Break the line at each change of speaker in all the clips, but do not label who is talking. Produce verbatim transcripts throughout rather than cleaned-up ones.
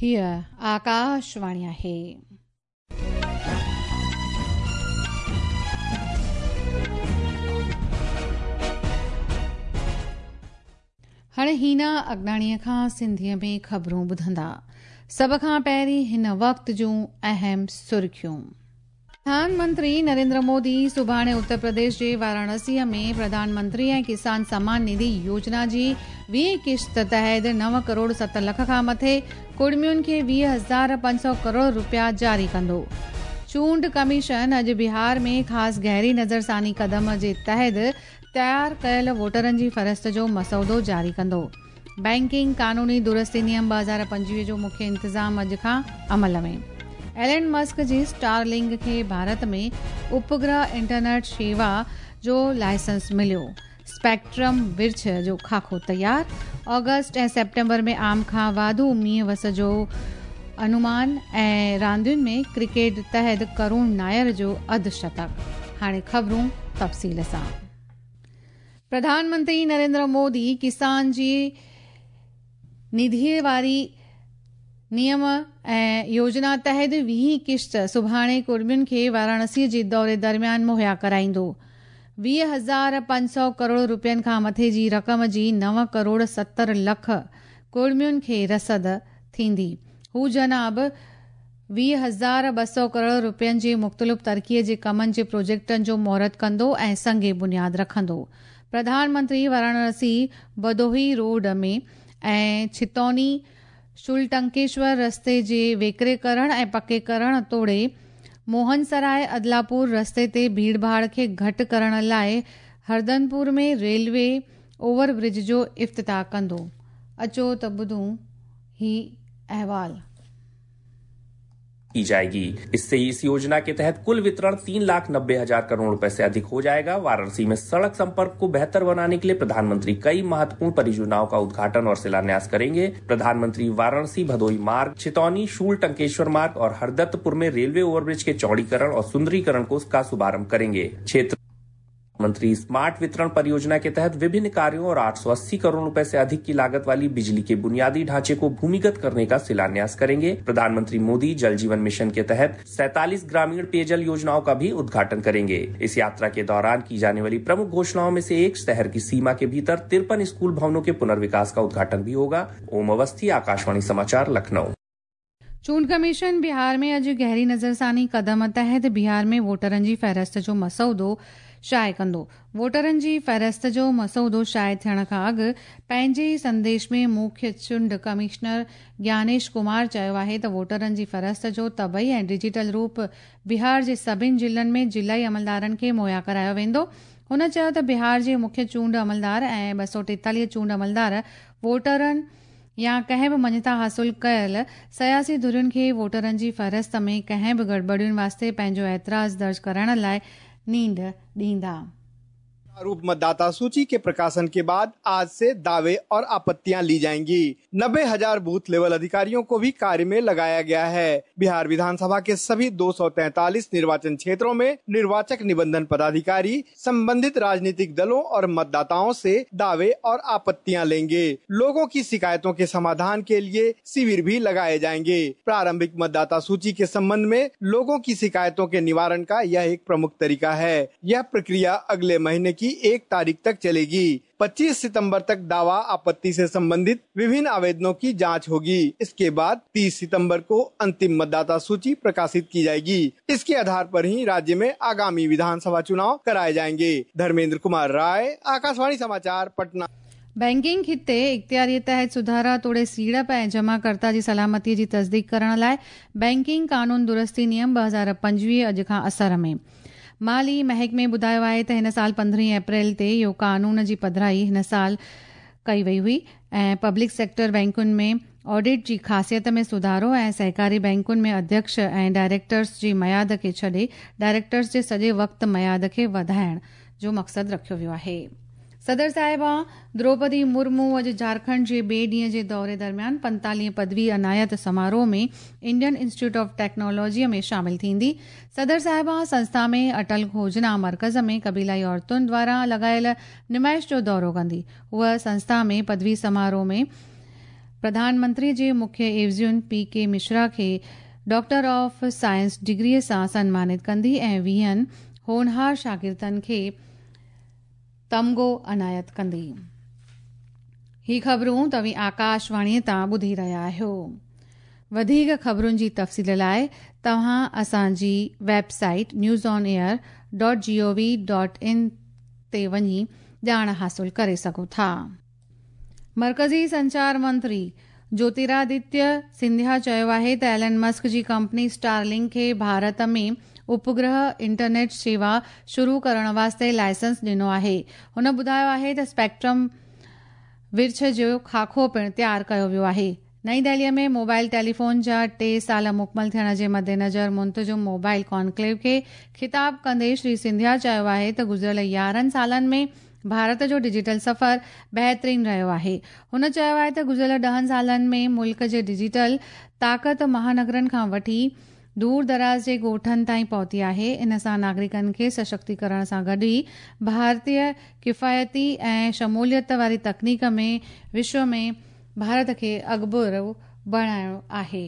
हीअ आकाशवाणी आहे। हाणे हीना अगनाणीअ खां सिंधीअ में ख़बरूं ॿुधंदा। सभ खां पहिरीं हिन वक़्त जूं अहम सुर्खियूं। प्रधानमंत्री नरेंद्र मोदी सुभाणे उत्तर प्रदेश जे वाराणसीअ में प्रधानमंत्री ऐं किसान सम्मान निधि योजना जी वीह किश्त तहत नव करोड़ सत लख खां मथे कुड़मियुनि खे वीह हज़ार पंज सौ करोड़ रुपया जारी कंदो। चूंड कमीशन अॼु बिहार में ख़ासि गहरी नज़रसानी कदम जे तहत तयारु कयल वोटरनि जी फ़हरिस्त जो मसौदो जारी कंदो। बैंकिंग कानूनी दुरुस्ती नियम ॿ हज़ार पंजवीह जो मुख्य इंतिज़ाम अॼु खां अमल में। एलन मस्क जी स्टारलिंक खे भारत में उपग्रह इंटरनेट शेवा जो लाइसेंस मिलियो। स्पेक्ट्रम विर्छ जो खाको तयार। ऑगस्ट ऐं सेप्टेम्बर में आम खां वाधू मींहुं वस जो अनुमान ऐं रांदियुनि में क्रिकेट तहत करुण नायर जो अधु शतक। हाणे ख़बरूं तफ़सील सां। प्रधानमंत्री नरेंद्र मोदी किसान जी निधीअ वारी नियम ऐं योजना तहत वीह किश्त सुभाणे कुर्मियुनि खे वाराणसीअ जे दौरे दरमियान मुहैया कराईंदो। वीह हज़ार पंज सौ करोड़ रुपयनि खां मथे जी रक़म जी नव करोड़ सतरि लख कुर्मियुनि खे रसद थींदी। हू जनाब वीह हज़ार ॿ सौ करोड़ रुपयनि जे मुख़्तलिफ़ तरक़ीअ जे कमनि जे प्रोजेक्टनि जो मुहूर्त कंदो ऐं संग बुनियाद रखंदो। प्रधानमंत्री वाराणसी भदोही रोड में ऐं छितौनी शुलटंकेश्वर रस्ते जे वेकरे करण ऐं पके करण तोड़े मोहनसराय अदलापुर रस्ते ते भीड़ भाड़ खे घटि करण लाइ हरदनपुर में रेलवे ओवरब्रिज जो इफ्तिताह कंदो। अचो त ॿुधूं ही अहवाल।
की जाएगी। इससे इस योजना के तहत कुल वितरण तीन लाख नब्बे हजार करोड़ रुपए से अधिक हो जाएगा। वाराणसी में सड़क संपर्क को बेहतर बनाने के लिए प्रधानमंत्री कई महत्वपूर्ण परियोजनाओं का उद्घाटन और शिलान्यास करेंगे। प्रधानमंत्री वाराणसी भदोही मार्ग, छितौनी शूल टंकेश्वर मार्ग और हरदत्तपुर में रेलवे ओवरब्रिज के चौड़ीकरण और सुंदरीकरण को का शुभारंभ करेंगे। क्षेत्र मंत्री स्मार्ट वितरण परियोजना के तहत विभिन्न कार्यों और आठ सौ अस्सी करोड़ रुपए से अधिक की लागत वाली बिजली के बुनियादी ढांचे को भूमिगत करने का शिलान्यास करेंगे। प्रधानमंत्री मोदी जल जीवन मिशन के तहत सैतालीस ग्रामीण पेयजल योजनाओं का भी उद्घाटन करेंगे। इस यात्रा के दौरान की जाने वाली प्रमुख घोषणाओं में से एक शहर की सीमा के भीतर तिरपन स्कूल भवनों के पुनर्विकास का उद्घाटन भी होगा। ओम अवस्थी, आकाशवाणी समाचार, लखनऊ।
चूंड कमीशन बिहार में अॼु गहरी नज़रसानी कदम तहत बिहार में वोटरनि जी फ़हरिस्त जो मसौदो शाये कंदो। वोटरनि जी फ़हरिस्त जो मसौदो शाये थियण खां अॻु पंहिंजे संदेश में मुख्य चूंड कमिश्नर ज्ञानेश कुमार चयो आहे त वोटरनि जी फ़हरिस्त जो तबई ऐं डिजिटल रूप बिहार जे सभिनी ज़िलनि में ज़िलाई अमलदारनि खे मुहैया करायो वेंदो। हुन चयो त बिहार जे मुख्य चूंड अमलदार ऐं ॿ सौ टेतालीह चूंड अमलदार वोटरनि या कंहिं बि मञता हासिल कयल सियासी धुरियुनि खे वोटरनि जी फ़हरिस्त में कंहिं बि गड़बड़ियुनि वास्ते पंहिंजो एतिराज़ दर्ज कराइण लाइ नींद ॾींदा।
प्रारूप मतदाता सूची के प्रकाशन के बाद आज से दावे और आपत्तियां ली जाएंगी। नब्बे हजार बूथ लेवल अधिकारियों को भी कार्य में लगाया गया है। बिहार विधानसभा के सभी दो सौ तैंतालीस निर्वाचन क्षेत्रों में निर्वाचक निबंधन पदाधिकारी संबंधित राजनीतिक दलों और मतदाताओं से दावे और आपत्तियां लेंगे। लोगों की शिकायतों के समाधान के लिए शिविर भी लगाए जाएंगे। प्रारंभिक मतदाता सूची के संबंध में लोगों की शिकायतों के निवारण का यह एक प्रमुख तरीका है। यह प्रक्रिया अगले महीने की एक तारीख तक चलेगी। पच्चीस सितंबर तक दावा आपत्ति से संबंधित विभिन्न आवेदनों की जांच होगी। इसके बाद तीस सितंबर को अंतिम मतदाता सूची प्रकाशित की जाएगी। इसके आधार पर ही राज्य में आगामी विधानसभा चुनाव कराए जाएंगे। धर्मेंद्र कुमार राय, आकाशवाणी समाचार, पटना।
बैंकिंग खिते इख्तियारीअ तहत सुधारा तोड़े सीड़प ऐं जमाकर्ता जी सलामतीअ जी तस्दीक करण लाइ बैंकिंग कानून दुरुस्ती नियम ॿ हज़ार पंजवीह अॼु खां असर में। माली महकमे ॿुधायो आहे त हिन साल पंद्रहीं अप्रैल ते इहो कानून जी पधराई हिन साल कई वई हुई ऐं पब्लिक सेक्टर बैंकुनि में ऑडिट जी ख़ासियत में सुधारो ऐं सहकारी बैंकुनि में अध्यक्ष ऐं डायरेक्टर्स जी मयाद खे छॾे डायरेक्टर्स जे सॼे वक़्त मयाद खे वधाइण जो मक़सदु रखियो वियो आहे। सदर साहिबा द्रौपदी मुर्मू अॼु झारखंड जे ॿिए ॾींहं जे दौरे दरमियान पंतालीह पदवी अनायत समारोह में इंडियन इंस्टीट्यूट ऑफ टेक्नोलॉजीअ में शामिल थींदी। सदर साहिबा संस्था में अटल खोजना मर्कज़ में क़बीलाई औरतुनि द्वारा लॻायल नुमाइश जो दौरो कंदी। हूअ संस्था में पदवी समारोह में प्रधानमंत्री जे मुख्य एवज़ियुनि पी के मिश्रा खे डॉक्टर ऑफ साइंस डिग्रीअ सां सन्मानित कंदी ऐं वीहनि होनहार शागिर्दनि खे तमगो अनायत कंदी। ही ख़बरूं तव्हीं आकाशवाणीअ तां ॿुधी रहिया आहियो। वधीक ख़बरुनि जी तफ़सील लाइ तव्हां असांजी website news on air dot G O V dot in ते वञी ॼाण हासिल करे सघो था। मर्कज़ी संचार मंत्री ज्योतिरादित्य सिंधिया चयो आहे त एलन मस्क जी कंपनी स्टारलिंक खे भारत में उपग्रह इंटरनेट सेवा शुरू करण वास्ते लाइसेंस ॾिनो आहे। हुन ॿुधायो आहे त स्पेक्ट्रम विर्छ जो खाको पिणु तयारु कयो वियो आहे। नई दिल्लीअ में मोबाइल टेलीफोन जा टे साल मुकमल थियण जे मद्देनज़र मुंतज़िम मोबाइल कॉन्क्लेव खे ख़िताब कंदे श्री सिंधिया चयो आहे त गुज़िरियल यारहं सालनि में भारत जो डिजिटल सफ़र बहितरीन रहियो आहे। हुन चयो आहे त गुज़िरियल ॾहनि सालनि में मुल्क जे डिजिटल ताक़त महानगरनि खां वठी दूर दराज़ जे ॻोठनि ताईं पहुती आहे। इन सां नागरिकनि खे सशक्तीकरण सां गॾु ई भारतीय किफ़ायती ऐं शमूलियत वारी तकनीक में विश्व में भारत खे अॻिभरो बणाइणो आहे।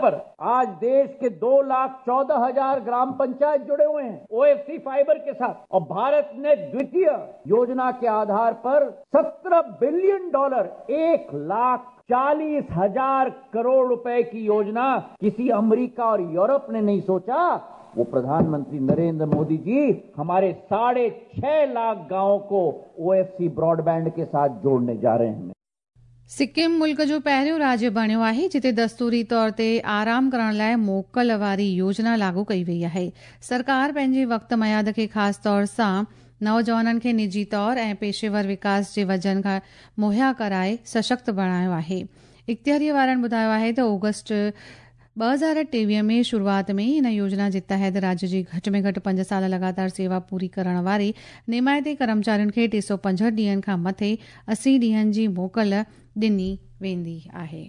पर आज देश के दो लाख चौदह हजार ग्राम पंचायत जुड़े हुए हैं ओएफसी फाइबर के साथ, और भारत ने द्वितीय योजना के आधार पर सत्रह बिलियन डॉलर एक लाख चालीस हजार करोड़ रुपए की योजना किसी अमेरिका और यूरोप ने नहीं सोचा, वो प्रधानमंत्री नरेंद्र मोदी जी हमारे साढ़े छह लाख गांवों को ओएफसी ब्रॉडबैंड के साथ जोड़ने जा रहे हैं।
सिक्किम मुल्क जो पहिरियों राज्य बणियो आहे जिते दस्तूरी तौर ते आराम करण लाइ मोकल वारी योजना लागू कई वई आहे। सरकार पंहिंजे वक़्त मयाद खे ख़ासि तौर सां नौजवाननि खे निजी तौर ऐं पेशेवर विकास जे वजन खां मुहैया कराए सशक्त बणायो आहे। इख़्तियारीअ वारनि ॿुधायो आहे त ऑगस्ट ॿ हज़ार टेवीह में शुरूआत में इन योजना जे तहत राज्य जी घटि में घटि पंज साल लगातार सेवा पूरी करण वारे निमायती कर्मचारियुनि खे टे सौ पंजहठि ॾींहनि खां मथे असी ॾींहनि जी मोकल ॾिनी वेंदी आहे।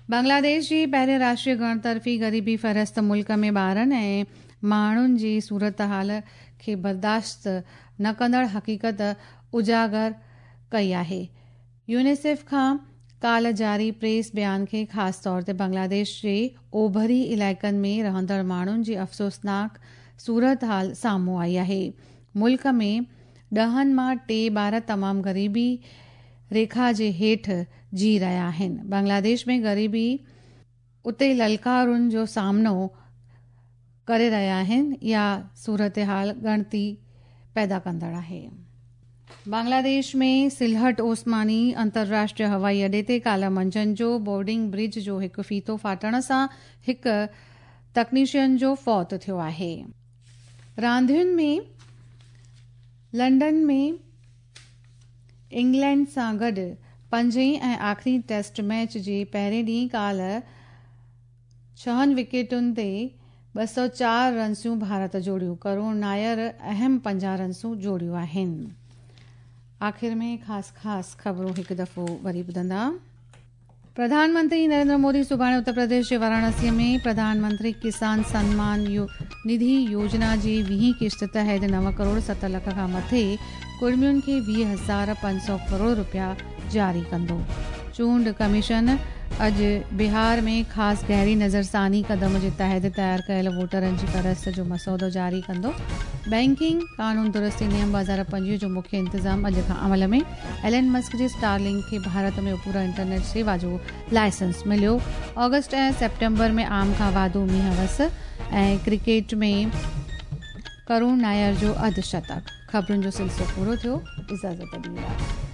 बांग्लादेश जी पहिरीं राष्ट्रीय गणतरफ़ी ग़रीबी फ़हरिस्त मुल्क में ॿारनि ऐं माण्हुनि जी सूरत हाल खे बर्दाश्त न कंदड़ हक़ीक़त उजागर कई आहे। यूनिसेफ खां काल्ह जारी प्रेस बयान खे ख़ासि तौर ते बांग्लादेश जे ओभरी इलाइक़नि में रहंदड़ माण्हुनि जी अफ़सोसनाक सूरत हाल साम्हूं आई आहे। मुल्क में ॾहनि मां टे ॿार तमामु ग़रीबी रेखा जे हेठि जी रहिया आहिनि। बांग्लादेश में ग़रीबी उते ललकारुनि जो सामनो करे रहिया आहिनि। इहा सूरत हाल ॻणती पैदा कंदड़ आहे। बांग्लादेश में सिलहट ओस्मानी अंतर्राष्ट्रीय हवाई अॾे ते काल्ह मंझंदि जो बोर्डिंग ब्रिज जो हिकु फीतो फाटण सां हिकु तकनीशियन जो फौत थियो आहे। रांदियुनि में लंडन में इंग्लैंड सां गॾु पंजें ऐं आख़िरी टेस्ट मैच जे पहिरें ॾींहुं काल्ह छहनि विकेटुनि ते ॿ सौ चारि रनसूं भारत जोड़ियूं। करुण नायर अहम पंजाह रनसूं जोड़ियूं आहिनि। आख़िर में ख़ासि ख़ासि ख़बरूं हिकु दफ़ो वरी ॿुधंदा। प्रधानमंत्री नरेंद्र मोदी सुभाणे उत्तर प्रदेश जे वाराणसीअ में प्रधानमंत्री किसान सम्मान यो, निधि योजना जी वीह किश्त तहत नव करोड़ सत लख खां मथे कुर्मियुनि खे वीह हज़ार पंज सौ करोड़ रुपया जारी कंदो। चूंड कमीशन अॼु बिहार में ख़ासि गहरी नज़रसानी कदम जे तहत तयारु कयल वोटरनि जी फ़हरिस्त जो मसौदो जारी कंदो। बैंकिंग कानून दुरुस्ती नियम ॿ हज़ार पंजवीह जो मुख्य इंतज़ाम अॼु खां अमल में। एलन मस्क जे स्टारलिंक खे भारत में पूरा इंटरनेट सेवा जो लाइसेंस मिलियो। ऑगस्ट ऐं सेप्टेम्बर में आम खां वाधू मींहुं वस ऐं क्रिकेट में करुण नायर जो अधु शतक। ख़बरुनि जो सिलसिलो पूरो थियो। इजाज़त ॾींदा।